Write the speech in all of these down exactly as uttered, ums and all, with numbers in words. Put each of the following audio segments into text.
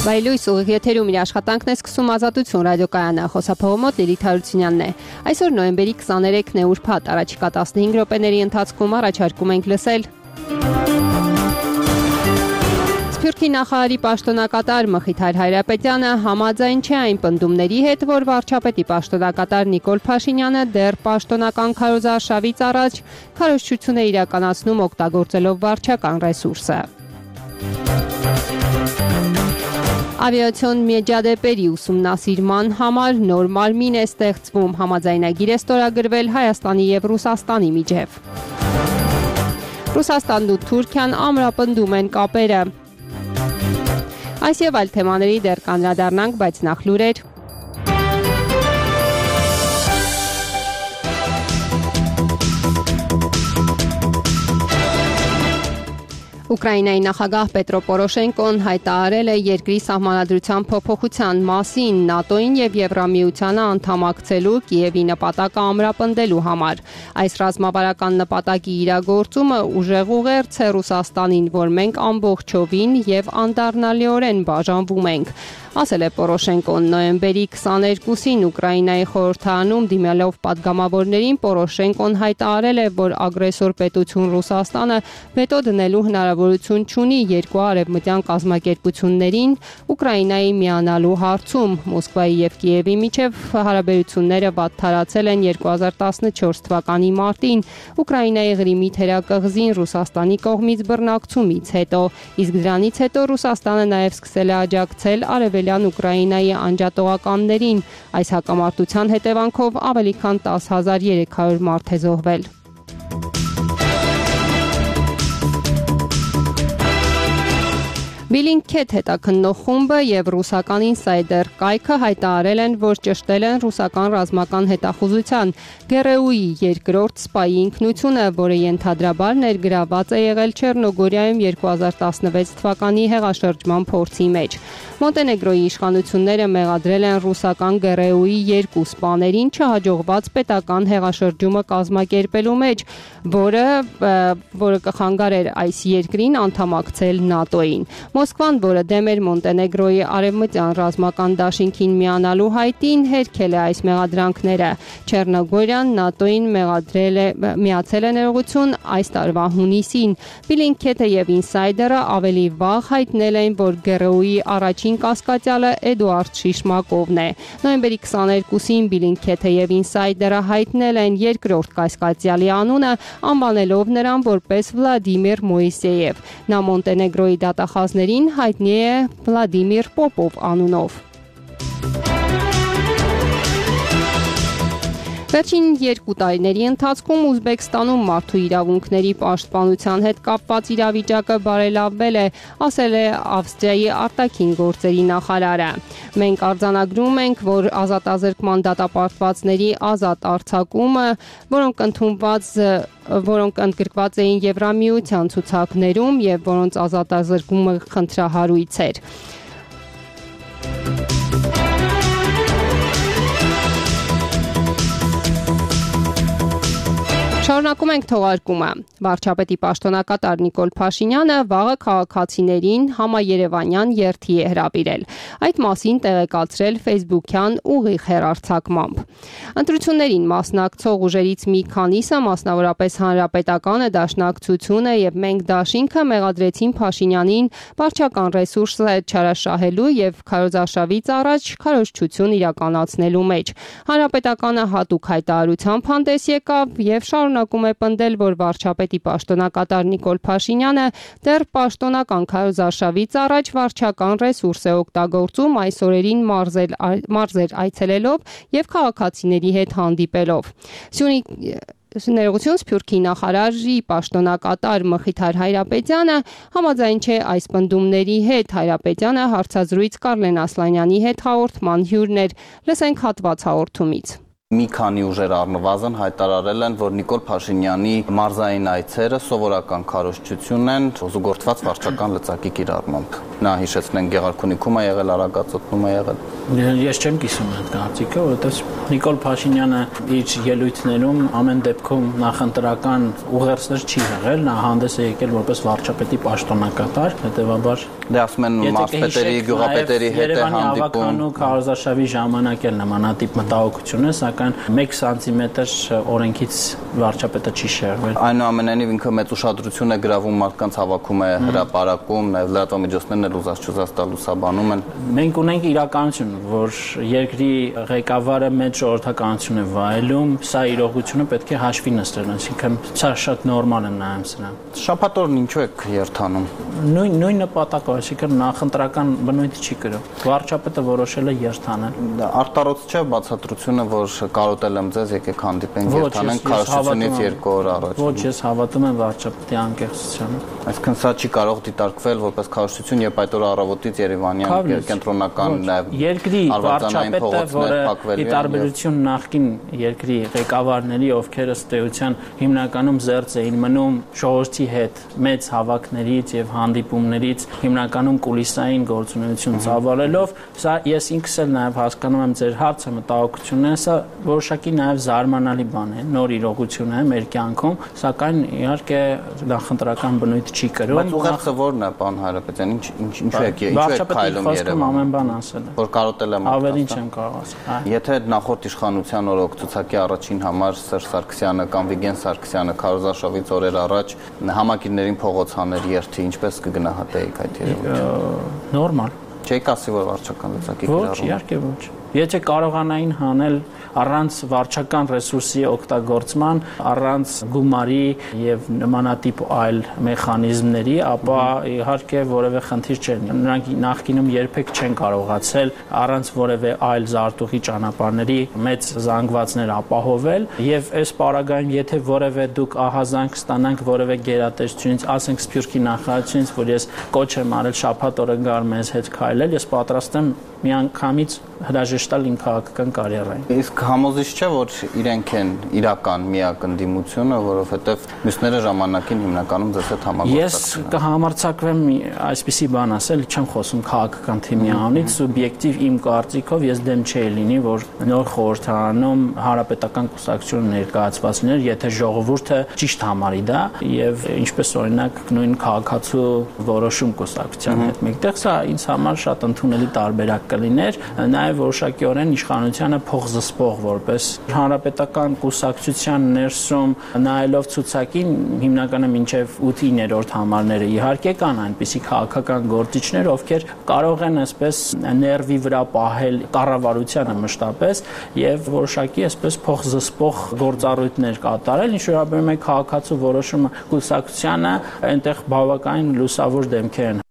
Վայելույս ուղիղ եթերում իր աշխատանքն է սկսում Ազատություն ռադիոկայանը, խոսափողը մոտ Լիլիթ Հարությունյանն է։ Այսօր նոյեմբերի քսաներեքն է ուրբաթ, առաջիկա տասնհինգ րոպեների ընթացքում առաջարկում ենք լսել Սփյուռքի նախարարի պաշտոնակատար Մխիթար Հայրապետյանը համաձայն չէ այն պնդումների հետ, որ վարչապետի պաշտոնակատար Նիկոլ Փաշինյանը դեռ պաշտոնական քարոզարշավից առաջ քարոզչություն է իրականացնում օգտագործելով վարչական ռեսուրսը։ Ավիացիոն մեջադեպերի ուսումնասիրման համար նոր մարմին է ստեղծվում, համաձայնագիր է ստորագրվել Հայաստանի և Ռուսաստանի միջև։ Ռուսաստանն ու Թուրքիան ամրապնդում են կապերը։ Այս և այլ թեմաների դեռ կանդրադառնանք, բայց նախ լուրեր։ Ուկրաինայի նախագահ Պետրո Պորոշենկոն հայտարարել է երկրի սահմանադրության փոփոխության մասին ՆԱՏՕ-ին և Եվրամիությանը անդամակցելու Կիևի նպատակը ամրապնդելու համար։ Այս ռազմավարական նպատակի իրագործումը ուժեղ ուղերձ է Ռուսաստանին, որ մենք ամբողջովին և անդառնալիորեն բաժանվում ենք, ասել է Պորոշենկոն նոյեմբերի քսաներկուսին Ուկրաինայի խորհրդարանում դիմելով պատգամավորներին Պորոշենկոն հայտարարել է, որ ագրեսոր պետություն Ռուսաստանը վետո դնելու հնարավորություն չունի երկու արևմտյան կազմակերպություններին Ուկրաինայի միանալու հարցում։ Մոսկվայի և Կիևի միջև հարաբերությունները վատթարացել են երկու հազար տասնչորս թվականի մարտին Ուկրաինայի Ղրիմի թերակղզին Ռուսաստանի կողմից բռնակցումից հետո, իսկ դրանից հետո Ռուսաստանը նաև սկսել է աջակցել արևելյան Ուկրաինայի անջատողականներին։ Այս հակամարտության հետևանքով ավելի քան տասը հազար երեք հարյուր մարդ է զոհվել։ Bellingcat հետաքննող խումբը և ռուսական Insider կայքը հայտարարել են, որ ճշտել են ռուսական ռազմական հետախուզության ԳՌՈ-ի երկրորդ սպայի ինքնությունը, որը ենթադրաբար ներգրավված է եղել Չեռնոգորիայում երկու հազար տասնվեց թվականի հեղաշրջման փորձի մեջ։ Մոնտենեգրոյի իշխանությունները մեղադրել են ռուսական ԳՌՈ-ի երկու սպաներին չհաջողված պետական հեղաշրջումը կազմակերպելու մեջ, որը որը կխանգարեր այս երկրին անդամակցել ՆԱՏՕ-ին։ Մոսկվան, որը դեմ էր Մոնտենեգրոյի արևմտյան ռազմական դաշինքին միանալու հայտին, հերքել է այս մեղադրանքները։ Չեռնոգորիան ՆԱՏՕ-ին մեղադրել է միացել է ներողություն այս տարվա հունիսին։ Bellingcat-ը և Insider-ը ավելի վաղ հայտնել էին, որ ԳՌՈ-ի առաջին կասկածյալը Էդուարդ Շիշմակովն է։ Նոյեմբերի քսաներկուսին Bellingcat-ը և Insider-ը հայտնել են երկրորդ կասկածյալի անունը, անվանելով նրան որպես Վլադիմիր Մոիսեև։ Նա Մոնտենեգրոյի դատախազներին հայտնի է Վլադիմիր Պոպով անունով։ Վերջին երկու տարիների ընթացքում Ուզբեկստանում մարդու իրավունքների պաշտպանության հետ կապված իրավիճակը բարելավվել է, ասել է Ավստրիայի արտաքին գործերի նախարարը։ Մենք արձանագրում ենք, որ ազատազրկման դատապարտվածների ազատ արձակումը, որոնք ընդունված որոնք ընդգրկված էին Եվրամիության ցուցակներում և որոնց ազատազրկումը խնդրահարույց էր։ Շարունակում ենք թողարկումը։ Վարչապետի պաշտոնակատար Նիկոլ Փաշինյանը վաղը քաղաքացիներին համաերևանյան երթի է հրավիրել։ Այդ մասին տեղեկացրել Facebook-յան ուղիղ հեռարձակմամբ։ Ընտրություններին մասնակցող ուժերից մի քանիսը, մասնավորապես Հանրապետականը, Դաշնակցությունը և Մենք դաշինքը մեղադրեցին Փաշինյանին վարչական ռեսուրսը չարաշահելու և քարոզարշավից առաջ քարոզչություն իրականացնելու մեջ։ Հանրապետականը հատուկ հայտարարությամբ հանդես եկավ և շարունակում է պնդել, որ վարչապետի պաշտոնակատար Նիկոլ Փաշինյանը դեռ պաշտոնական քարոզարշավից առաջ վարչական ռեսուրս է օգտագործում այս օրերին մարզել, մարզեր այցելելով և քաղաքացիների հետ հանդիպելով։ Սյունիք Ներողություն Սփյուռքի նախարարի պաշտոնակատար Մխիթար Հայրապետյանը համաձայն չէ այս պնդումների հետ։ Հայրապետյանը հարցազրույց Կարլեն Ասլանյանի հետ հաղորդման հյուրն էր։ Լսենք հատված հաղորդումից։ Մի քանի ուժեր առնվազն հայտարարել են, որ Նիկոլ Փաշինյանի մարզային այցերը սովորական քարոզչություն են զուգորդված վարչական լծակի կիրառմամբ։ Նա հիշեցնեն Գեղարքունիքում է եղել, Արագածոտնում է եղել։ Ես չեմ կիսում այդ կարծիքը, որովհետև Նիկոլ Փաշինյանը իր ելույթներում ամեն դեպքում նախընտրական ուղերձներ չի եղել, նա հանդես է եկել որպես վարչապետի պաշտոնակատար, հետևաբար դե ասում են մարզպետերի, գյուղապետերի հետ է հանդիպում։ Քարոզարշավի ժամանակ էլ նմանատիպ մտահոգություն է, սակայն մեկ սանտիմետր օրենքից վարչապետը չի շեղվել։ Այնուամենայնիվ ինքը մեծ ուշադրություն է գրավում մարդկանց հավաքում է հրապարակում, նաև լրատվամիջոցներն էլ ուզած-չուզած տալ լուսաբանում են։ Մենք ունենք իրականություն, որ երկրի ղեկավարը մեծ ժողովրդականություն է վայելում, սա իրողությունը պետք է հաշվի նստել, այսինքն սա շատ նորմալ է նայում սրան։ Շաբաթօրն ինչու եք երթանում։ Նույն նույն նպատակով, այսինքն նախընտրական բնույթ չի կրում։ Վարչապետը որոշել է երթանել։ Արտարոց չէ բացատրությունը, որ կարոտել եմ ձեզ, եկեք հանդիպենք երթանենք քարոզությունից երկու օր առաջ։ Ոչ, ես հավատում եմ վարչապետի անկեղծությանը։ Այսինքն սա չի կարող դիտարկվել որպես քարոզություն, երբ այդ օրը առավոտից Երևանյան կենտրոնական նաև երկրի վարչապետը, որը ի տարբերություն նախկին երկրի ղեկավարների, ովքեր ըստ էության հիմնականում զերծ էին մնում ժողովրդի հետ մեծ հավաքներից եւ հանդիպումներից, հիմնականում կուլիսային գործունեություն ծավալելով, սա ես ինքս էլ նաև հասկանում եմ ձեր հարցը, մտահոգությունն է, սա որոշակի նաև զարմանալի բան է, նոր իրողություն է մեր կյանքում, սակայն իհարկե նախընտրական բնույթ չի կրում։ Բայց ուղերձը ո՞րն է, պարոն Հայրապետյան, ինչ ինչու եք ինչու եք քայլում Երևան։ Ամեն բան ասել է։ Որ կարոտել եմ։ Ավելին չեմ կարող ասել։ Եթե նախորդ իշխանության օրոքցուցակի առաջին համար Սերժ Սարգսյանը կամ Վիգեն Սարգսյանը քարոզարշավից օրեր առաջ համակիրներին փողոց հաներ երթի, ինչպես կգնահատեիք այդ երևույթը։ Նորմալ։ Չեք ասի, որ վարչական լծակի կիրառում։ Ոչ, իհարկե ոչ։ Եթե կարողանային հանել առանց վարչական ռեսուրսի օգտագործման, առանց գումարի եւ նմանատիպ այլ մեխանիզմների, ապա իհարկե որևէ խնդիր չէր։ Նրանք նախկինում երբեք չեն կարողացել առանց որևէ այլ զարտուղի ճանապարհների մեծ զանգվածներ ապահովել եւ այս պարագայում եթե որևէ դուք ահազանգ ստանանք որևէ գերատեսչությունից, ասենք Սփյուռքի նախարարությունից, որ ես կոչ եմ արել շաբաթ օրը գար մեզ հետ քայլել, ես պատրաստ եմ միանգամից հրաժեշտալ իմ քաղաքական կարիերային։ Իսկ համոզիչ չէ, որ իրենք են իրական միակ ընդդիմությունը, որովհետև մյուսները ժամանակին հիմնականում ձեզ հետ համագործակցում։ Ես կհամարձակվեմ այսպիսի բան ասել, չեմ խոսում քաղաքական թիմի անունից, սուբյեկտիվ իմ կարծիքով ես դեմ չէի լինի, որ նոր խորհրդարանում հանրապետական կուսակցություն ներկայացված լիներ, եթե ժողովուրդը ճիշտ համարի դա եւ ինչպես օրինակ նույն քաղաքացու որոշում կուսակցության հետ մեկտեղ, սա ինձ համար շատ ընդունելի տարբերակ կլիներ, նաև որոշակիորեն իշխանությանը փոխզսպող որպես հանրապետական կուսակցության ներսում նայելով ցուցակին հիմնականը մինչև ութ-իններորդ համարները իհարկե կան այնպիսի քաղաքական գործիչներ, ովքեր կարող են այսպես ներվի վրա պահել կառավարությանը մշտապես եւ որոշակի այսպես փոխզսպող գործառույթներ կատարել, ինչ վերաբերում է քաղաքացու որոշումը կուսակցությանը, այնտեղ բավականին լուսավոր դեմքեր են։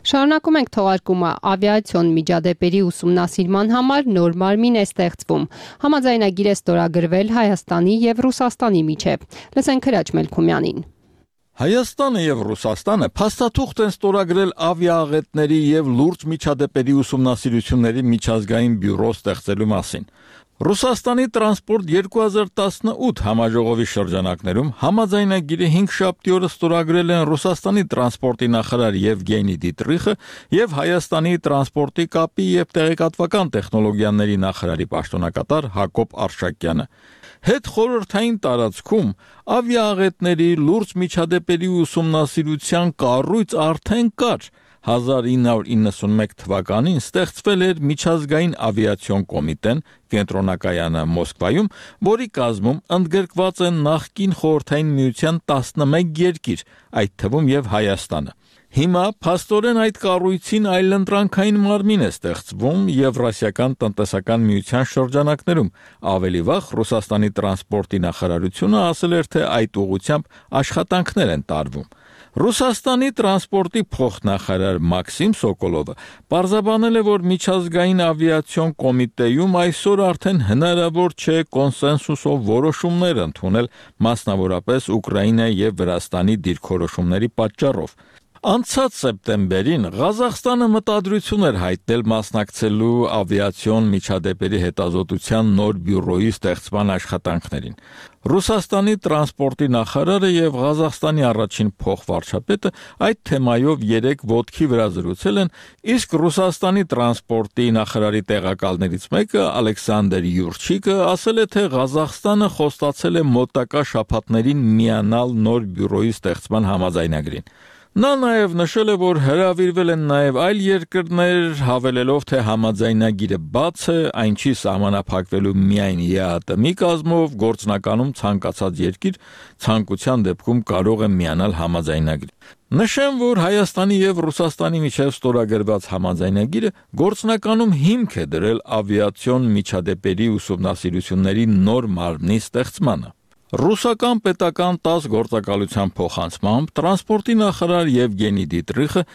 Շարունակում ենք թողարկումը ավիացիոն միջադեպերի ուսումնասիրման համար նոր մարմին է ստեղծվում։ Համաձայնագիր է ստորագրվել Հայաստանի եւ Ռուսաստանի միջև։ Լսենք Հրաչ Մելքումյանին։ Հայաստանը եւ Ռուսաստանը փաստաթուղթ են ստորագրել ավիաաղետների եւ լուրջ միջադեպերի ուսումնասիրությունների միջազգային բյուրո ստեղծելու մասին։ Ռուսաստանի տրանսպորտ երկու հազար տասնութ համաժողովի շրջանակներում համաձայնագիրը հինգշաբթի օրը ստորագրել են Ռուսաստանի տրանսպորտի նախարար Եվգենի Դիտրիխը եւ Հայաստանի տրանսպորտի կապի եւ տեղեկատվական տեխնոլոգիաների նախարարի պաշտոնակատար Հակոբ Արշակյանը։ Հետ խորհրդային տարածքում ավիաաղետների լուրջ միջադեպերի ուսումնասիրության կառույց արդեն կար։ հազար ինը հարյուր իննսունմեկ թվականին ստեղծվել էր միջազգային ավիացիոն կոմիտեն կենտրոնակայանը Մոսկվայում, որի կազմում ընդգրկված են նախկին խորհրդային միության տասնմեկ երկիր, այդ թվում եւ Հայաստանը։ Հիմա փաստորեն այդ կառույցին այլընտրանքային մարմին է ստեղծվում Եվրասիական տնտեսական միության շրջանակներում։ Ավելի վաղ Ռուսաստանի տրանսպորտի նախարարությունը ասել էր, թե այդ ուղղությամբ աշխատանքներ են տարվում։ Ռուսաստանի տրանսպորտի փոխնախարար Մաքսիմ Սոկոլովը պարզաբանել է, որ միջազգային ավիացիոն կոմիտեում այսօր արդեն հնարավոր չէ կոնսենսուսով որոշումներ ընդունել, մասնավորապես Ուկրաինայի եւ Վրաստանի դիրքորոշումների պատճառով։ Անցած սեպտեմբերին Ղազախստանը մտադրություն էր հայտնել մասնակցելու ավիացիոն միջադեպերի հետազոտության նոր բյուրոյի ստեղծման աշխատանքներին։ Ռուսաստանի տրանսպորտի նախարարը եւ Ղազախստանի առաջին փոխվարչապետը այդ թեմայով երեք ոտքի վրա զրուցել են, իսկ Ռուսաստանի տրանսպորտի նախարարի տեղակալներից մեկը Ալեքսանդր Յուրչիկը ասել է, թե Ղազախստանը խոստացել է մոտակա շաբաթներին միանալ նոր բյուրոյի ստեղծման համաձայնագրին։ Նա նաև նշել է, որ հրավիրվել են նաև այլ երկրներ, հավելելով, թե համաձայնագիրը բաց է, այն չի սահմանափակվելու միայն ԵԱՏՄ-ի կազմով, գործնականում ցանկացած երկիր ցանկության դեպքում կարող է միանալ համաձայնագրին։ Նշեմ, որ Հայաստանի եւ Ռուսաստանի միջև ստորագրված համաձայնագիրը գործնականում հիմք է դրել ավիացիոն միջադեպերի ուսումնասիրությունների նոր մարմնի ստեղծմանը։ Ռուսական պետական տաս գործակալության փոխանցմամբ տրանսպորտի նախարար Եվգենի Դիտրիխը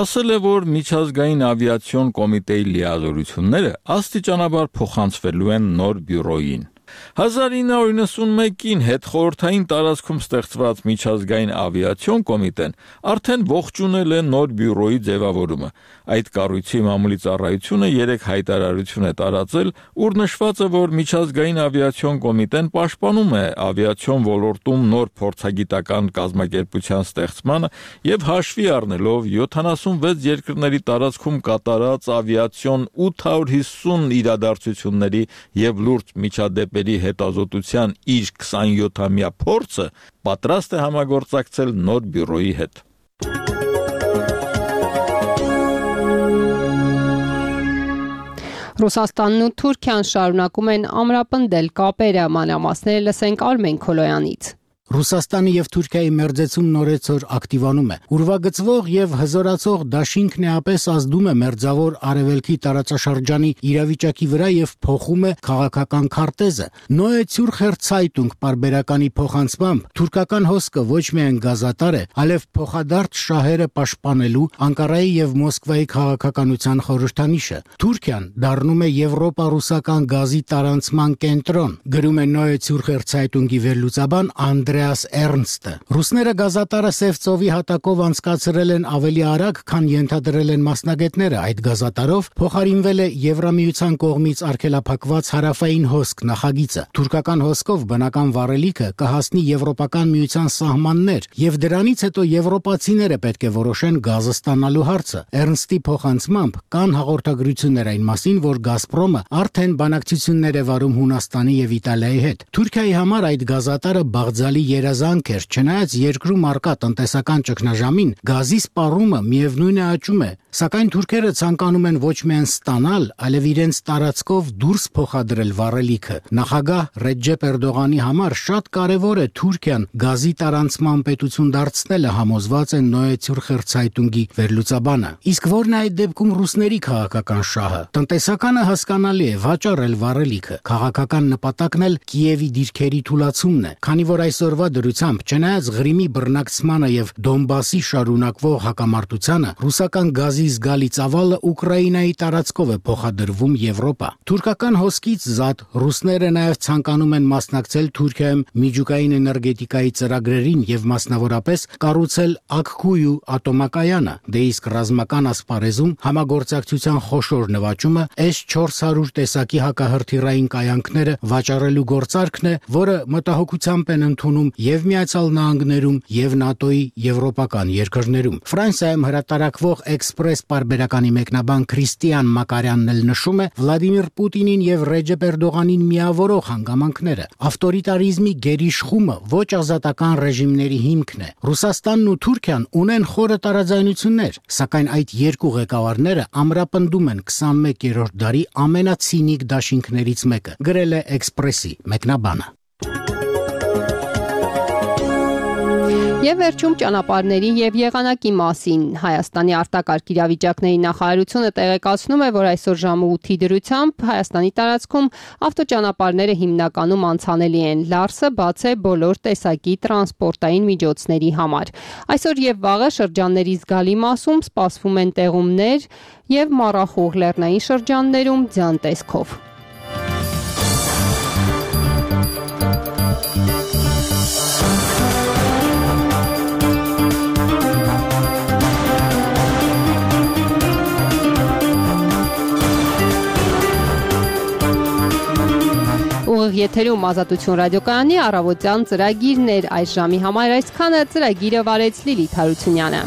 ասել է, որ միջազգային ավիացիոն կոմիտեի լիազորությունները աստիճանաբար փոխանցվելու են նոր բյուրոյին։ հազար ինը հարյուր նվաթ հետխորհրդային տարածքում ստեղծված միջազգային ավիացիոն կոմիտեն արդեն ողջունել է նոր բյուրոյի ձևավորումը։ Այդ կառույցի մամուլի ծառայությունը երեք հայտարարություն է տարածել, ուր նշված է, որ միջազգային ավիացիոն կոմիտեն պաշտպանում է ավիացիոն ոլորտում նոր փորձագիտական կազմակերպության ստեղծմանը եւ հաշվի առնելով յոթանասունվեց երկրների տարածքում կատարած ավիացիոն ութ հարյուր հիսուն իրադարձությունների եւ լուրջ միջադեպերի հետազոտության իր քսանյոթամյա փորձը պատրաստ է համագործակցել նոր բյուրոյի հետ։ Ռուսաստանն ու Թուրքիան շարունակում են ամրապնդել կապերը, մանրամասները լսենք Արմեն Քոլոյանից։ Ռուսաստանի եւ Թուրքիայի մերձեցում նորեցօր ակտիվանում է։ Ուրվագծվող եւ հզորացող դաշինքն էապես ազդում է մերձավոր արևելքի տարածաշրջանի իրավիճակի վրա եւ փոխում է քաղաքական քարտեզը։ Neue Zürcher Zeitung պարբերականի փոխանցմամբ թուրքական հոսքը ոչ միայն գազատար է, այլև փոխադարձ շահերը պաշտպանելու Անկարայի եւ Մոսկվայի քաղաքականության խորհրդանիշը։ Թուրքիան դառնում է եվրոպա-ռուսական գազի տարանցման կենտրոն, գրում է Neue Zürcher Zeitung-ի վերլուծաբան Անդրեաս Էրնստը։ Ռուսները գազատարը Սև ծովի հատակով անցկացրել են ավելի արագ, քան ենթադրել են մասնագետները։ Այդ գազատարով փոխարինվել է Եվրամիության կողմից արգելափակված հարավային հոսք նախագիծը։ Թուրքական հոսքով բնական վառելիքը կհասնի Եվրոպական միության սահմաններ, եւ դրանից հետո եվրոպացիները պետք է որոշեն գազը ստանալու հարցը։ Էրնստի փոխանցմամբ կան հաղորդագրություններ այն մասին, որ Գազպրոմը արդեն բանակցություններ է վարում Հունաստանի եւ Իտալիայի հետ։ Թուրքիայի համար այդ գազատարը բաղձալի երազանք էր, չնայած երկրում առկա տնտեսական ճգնաժամին, գազի սպառումը միևնույն է աճում է, սակայն թուրքերը ցանկանում են ոչ միայն ստանալ, այլև իրենց տարածքով դուրս փոխադրել վառելիքը։ Նախագահ Ռեջեփ Էրդողանի համար շատ կարևոր է Թուրքիան գազի տարանցման պետություն դարձնելը, համոզված է Neue Zürcher Zeitung-ի վերլուծաբանը։ Իսկ որն է այդ դեպքում ռուսների քաղաքական շահը։ Տնտեսականը հասկանալի է, վաճառել վառելիքը, քաղաքական նպատակն էլ Կիևի դիրքերի թուլացումն է, քանի որ այսօրվա դրությամբ, չնայած Ղրիմի բռնակցմանը եւ Դոնբասի շարունակվող հակամարտությանը, ռուսական գազի զգալի ծավալը Ուկրաինայի տարածքով է փոխադրվում Եվրոպա։ Թուրքական հոսքից զատ ռուսները նաեւ ցանկանում են մասնակցել Թուրքիայում միջուկային էներգետիկայի ծրագրերին եւ մասնավորապես կառուցել Աքքույու ատոմակայանը։ Դե իսկ ռազմական ասպարեզում համագործակցության խոշոր նվաճումը էս չորս հարյուր տեսակի հակահրթիռային կայանքները վաճառելու գործարքն է, որը մտահոգությամբ են ընդունում եւ Միացյալ Նահանգներում եւ ՆԱՏՕ-ի եվրոպական երկրներում։ Ֆրանսիայում հրատարակվող Էքսպրես պարբերականի մեկնաբան Քրիստիան Մակարյանն էլ նշում է Վլադիմիր Պուտինին եւ Ռեջեփ Էրդողանին միավորող հանգամանքները։ Ավտորիտարիզմի գերիշխումը ոչ ազատական ռեժիմների հիմքն է։ Ռուսաստանն ու Թուրքիան ունեն խորը տարաձայնություններ, սակայն այդ երկու ղեկավարները ամրապնդում են քսանմեկերորդ դարի ամենացինիկ դաշինքներից մեկը, գրել է Էքսպրեսի մեկնաբանը։ Եվ վերջում ճանապարհների եւ եղանակի մասին Հայաստանի արտակարգ իրավիճակների նախարարությունը տեղեկացնում է, որ այսօր ժամը ութի դրությամբ Հայաստանի տարածքում ավտոճանապարհները հիմնականում անցանելի են։ Լարսը բաց է բոլոր տեսակի տրանսպորտային միջոցների համար։ Այսօր եւ վաղը շրջանների զգալի մասում սպասվում են տեղումներ եւ մառախուղ լեռնային շրջաններում ձյան տեսքով։ Ուղիղ եթերում Ազատություն ռադիոկայանի առավոտյան ծրագիրներ այս ժամի համար այսքանը ծրագիրը վարեց Լիլիթ Հարությունյանը։